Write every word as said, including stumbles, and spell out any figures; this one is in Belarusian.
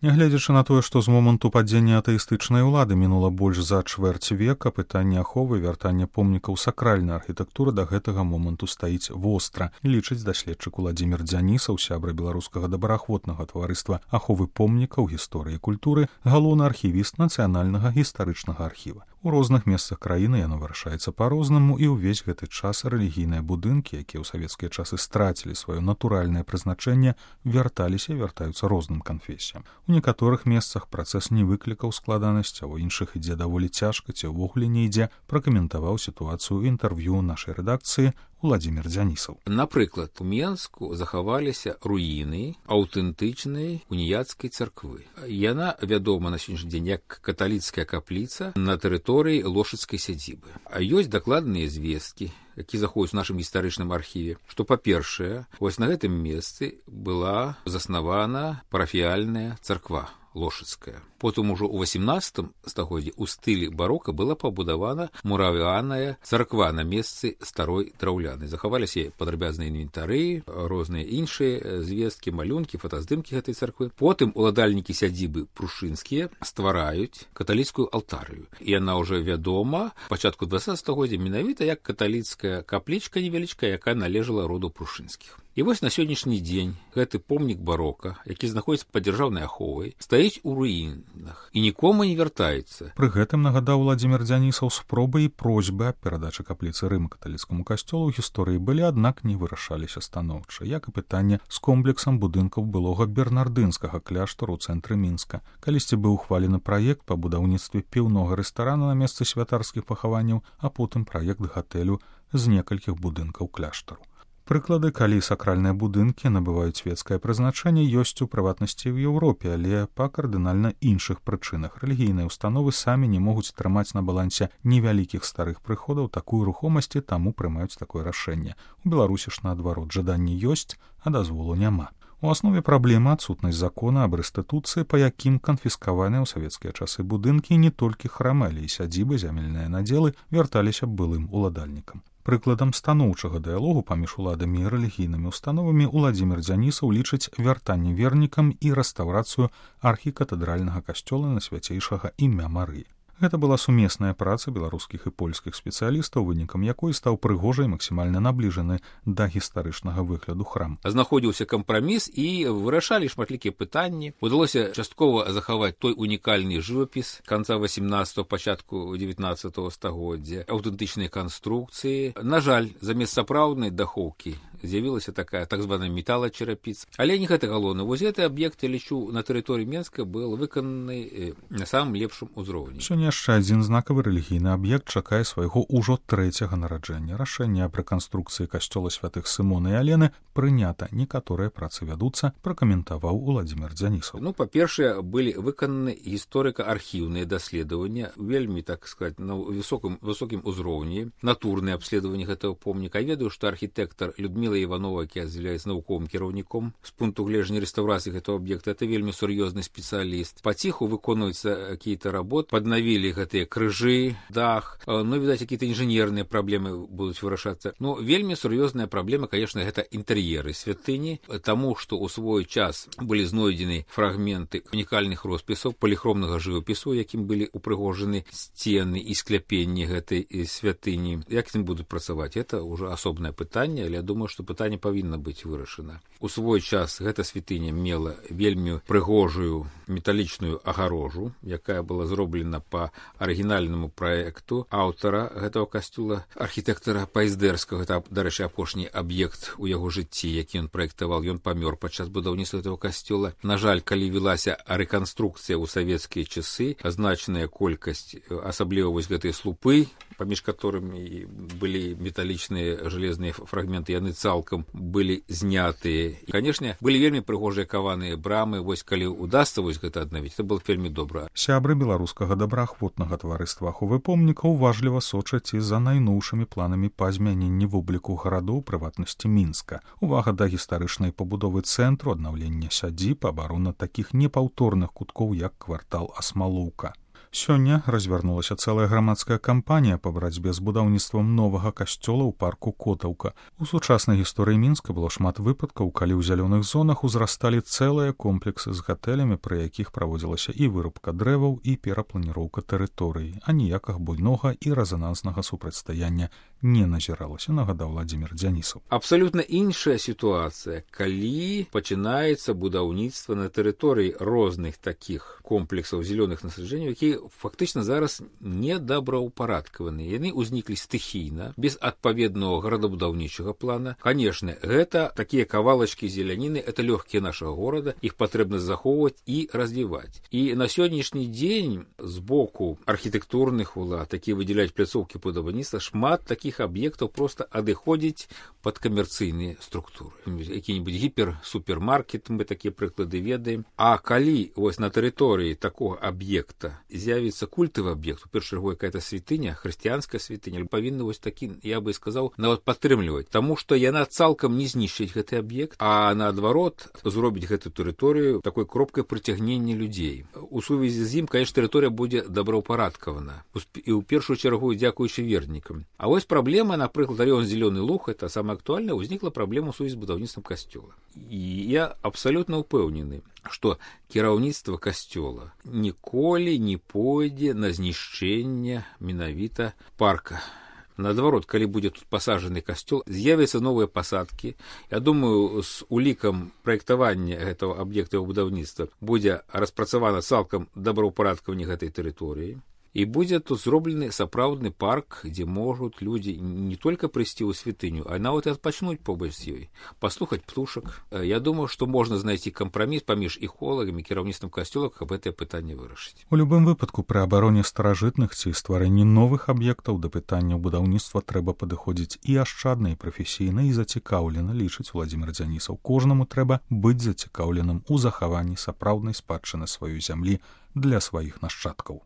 Нягледзячы на тое, што з моманту падзення атэістычнай улады мінула больш за чвэрць века, пытанне аховы і вяртання помнікаў сакральнай архітэктуры да гэтага моманту стаіць востра, лічыць даследчык Уладзімір Дзянісаў, сябра беларускага добраахвотнага таварыства аховы помнікаў гісторыі і культуры, галоўны архівіст нацыянальнага гістарычнага архіва. У розных месцах краіны яно вырашаецца па-рознаму, і ўвесь гэты час рэлігійныя будынкі, якія ў савецкія часы страцілі сваё натуральнае прызначэнне, вярталіся і вяртаюцца розным канфесіям. У некаторых месцах працэс не выклікаў складанасці, а ў іншых ідзе даволі цяжка ці ўвогуле не ідзе, пракаментаваў сітуацыю інтэрв'ю нашай рэдакцыі Уладзімір Дзянісаў. Напрыклад, у Менску захаваліся руіны аўтэнтычнай уніяцкай царквы. Яна вядома на сённяшні дзень як каталіцкая капліца на тэрыторыі лошыцкай сядзібы. А ёсць дакладныя звесткі, які заходзяць у нашым гістарычным архіве, што, па-першае, вось на гэтым месцы была заснавана парафіяльная царква лошыцкая. Потым ужо ў васемнаццатым стагоддзі ў стылі барока была пабудавана муравяная царква на месцы старой драўлянай. Захаваліся падрабязныя інвентары, розныя іншыя звесткі, малюнкі, фотаздымкі гэтай царквы. Потым уладальнікі сядзібы прушынскія ствараюць каталіцкую алтарыю. І яна ўжо вядома пачатку дваццатага стагоддзя менавіта як каталіцкая каплічка невялічкая, якая належала роду прушынскіх. І вось на сённяшні дзень гэты помнік барока, які знаходзіцца пад дзяржаўнай аховай, стаіць у руінах і нікому не вяртаецца. Пры гэтым нагадаў Уладзімір Дзянісаў, спробы і просьбы аб перадачы капліцы рыма-каталіцкаму касцёлу ў гісторыі былі, аднак не вырашаліся станоўча, як і пытанне з комплексам будынкаў былога бернардынскага кляштару ў цэнтры Мінска. Калісьці быў ухвалены праект па будаўніцтве піўнога рэстарана на месцы святарскіх пахаванняў, а потым праект гатэлю з некалькіх будынкаў кляштару. Прыклады, калі сакральныя будынкі набываюць свецкае прызначэнне, ёсць у прыватнасці ў Еўропе, але па кардынальна іншых прычынах. Рэлігійныя установы самі не могуць трымаць на балансе невялікіх старых прыходаў такую рухомасці, таму прымаюць такое рашэнне. У Беларусі ж наадварот, жаданні ёсць, а дазволу няма. У аснове праблемы адсутнасць закона аб рэстытуцыі, па якім канфіскаваныя ў савецкія часы будынкі не толькі храмы, але і сядзібы, зямельныя надзелы вярталіся былым уладальнікам. Прыкладам станоўчага дыялогу паміж уладамі і рэлігійнымі установамі Уладзімір Дзянісаў лічыць вяртанне вернікам і рэстаўрацыю архікатэдральнага касцёла на свяцейшага імя Марыі. Гэта была сумесная праца беларускіх і польскіх спецыялістаў, вынікам якой стаў прыгожа і максімальна набліжаны да гістарычнага выгляду храм. Знаходзіўся кампраміс і вырашалі шматлікія пытанні. Удалося часткова захаваць той унікальны жывапіс канца васемнаццатага, пачатку дзевятнаццатага стагоддзя, аўтэнтычныя канструкцыі. На жаль, замест сапраўднай дахоўкі з'явілася такая так званая металачарапіца. Але не гэта галоўна. Вось гэты аб'ект, я лічу, на тэрыторыі Менска быў выкананы на самым лепшым узроўні. Сёння яшчэ адзін знакавы рэлігійны аб'ект чакае свайго ўжо трэцяга нараджэння. Рашэнне аб рэканструкцыі касцёла святых Сымона і Алены прынята. Некаторыя працы вядуцца, пракаментаваў Уладзімір Дзянісаў. Ну, па-першае, былі выкананы гісторыка-архіўныя даследаванні, вельмі, так сказаць, на высокім, высокім узроўні, натурныя абследаванні гэтага помніка. Я ведаю, што архітэктар Людміла Іванова, якая з'яўляецца навуковым кіраўніком з пункту гледжання рэстаўрацыі гэтага аб'екта, это вельмі сур'ёзны спецыяліст. Паціху выконваюцца какие-то работы, паднавілі гэтыя крыжы, дах, ну, відаць, какие-то інжынерныя праблемы будуць вырашацца. Ну, вельмі сур'ёзная праблема, конечно, гэта інтэр'еры святыні, таму што ў свой час былі знойдзены фрагменты унікальных роспісаў поліхромнага жывапісу, якім былі упрыгожаны сцены і скляпенні гэтай святыні. Як з ім будуць працаваць? Это ўжо асобнае пытанне, але я думаю, што пытанне павінна быць вырашана. У свой час гэта святыня мела вельмі прыгожую металічную агарожу, якая была зроблена па арыгінальнаму праекту аўтара гэтага касцёла, архітэктара Пайздэрскага. Гэта, дарэчы, апошні аб'ект у яго жыцці, які ён праектаваў. Ён памёр падчас будаўніцтва гэтага касцёла. На жаль, калі велася рэканструкцыя ў савецкія часы, значная колькасць, асабліва вось гэтыя слупы, паміж которымі былі металічныя жалезныя фрагменты, яны цалкам былі знятыя. І, канешне, былі вельмі прыгожыя каваныя брамы. Вось калі удасца вось гэта аднавіць, это было вельмі добра. Сябры беларускага добраахвотнага таварыства аховы помніка уважліва сочаць і за найноўшымі планамі па змяненні вобліку гарадоў, прыватнасці Мінска. Увага да гістарычнай пабудовы цэнтру, аднаўлення сядзіб, абарона такіх непаўторных куткоў, як квартал Асмалоўка. Сёння развярнулася цэлая грамадская кампанія па барацьбе з будаўніцтвам новага касцёла ў парку Котаўка. У сучаснай гісторыі Мінска было шмат выпадкаў, калі ў зялёных зонах узрасталі цэлыя комплексы з гатэлямі, пры якіх праводзілася і вырубка дрэваў, і перапланіроўка тэрыторыі, а ніякага буйнога і рэзананснага супрацьстаяння не назіралася, нагадаў Владзімір Дзянісаў. Абсалютна іншая сітуацыя, калі пачынаецца будаўніцтва на тэрыторыі розных такіх комплексаў зялёных насаджэнняў, якія фактычна зараз недобраўпарадкаваныя. Яны ўзніклі стыхійна, без адпаведнага гарадабудаўнічага плана. Канешне, гэта такія кавалачкі зеляніны, это лёгкія нашага горада, іх патрэбна захоўваць і развіваць. І на сённяшні дзень з боку архітэктурных улад, якія выдзяляюць пляцоўкі будаўніцтва, шмат такіх аб'ектаў проста адыходзіць пад камерцыйныя структуры. Які-нибудь гіпер-супермаркет, мы такія прыклады ведаем. А калі вось на тэрыторыі такога аб'екта з'явіцца культавы аб'ект, у першую чаргу якая-то святыня, хрысціянская святыня, павінна вось такі, я бы сказаў, нават падтрымліваць, таму што яна цалкам не знішчыць гэты аб'ект, а наадварот зробіць гэту тэрыторыю такой кропкай прыцягнення людзей. У сувязі з ім, конечно, тэрыторыя будзе добраўпарадкавана. І ў першую чаргу дзякуючы вернікам. А вось праблема, напрыклад, раён Зелёны Луг, это самая актуальная, узнікла праблема ў сувязі з будаўніцтвам касцёла. І я абсалютна ўпэўнены, што кіраўніцтва касцёла ніколі не пойдзе на знішчэнне менавіта парка. Наадварот, калі будзе тут пасаджаны касцёл, з'явяцца новыя пасадкі. Я думаю, з улікам праектавання гэтага аб'екта будаўніцтва будзе распрацавана цалкам добраўпарадкаванне гэтай тэрыторыі. І будзе тут зроблены сапраўдны парк, дзе могуць людзі не толькі прыйсці ў святыню, а нават і адпачнуць побач з ёй, паслухаць птушак. Я думаю, што можна знайсці кампраміс паміж іхолагамі, кіраўніцтвам касцёла, каб гэтае пытанне вырашыць. У любым выпадку пры абароне старажытных ці стварэнні новых аб'ектаў да пытання будаўніцтва трэба падыходзіць і ашчадна, і прафесійна, і зацікаўлена, лічыць Владзімір Дзянісаў. Кожнаму трэба быць зацікаўленым у захаванні сапраўднай спадчыны сваёй зямлі для сваіх нашчадкаў.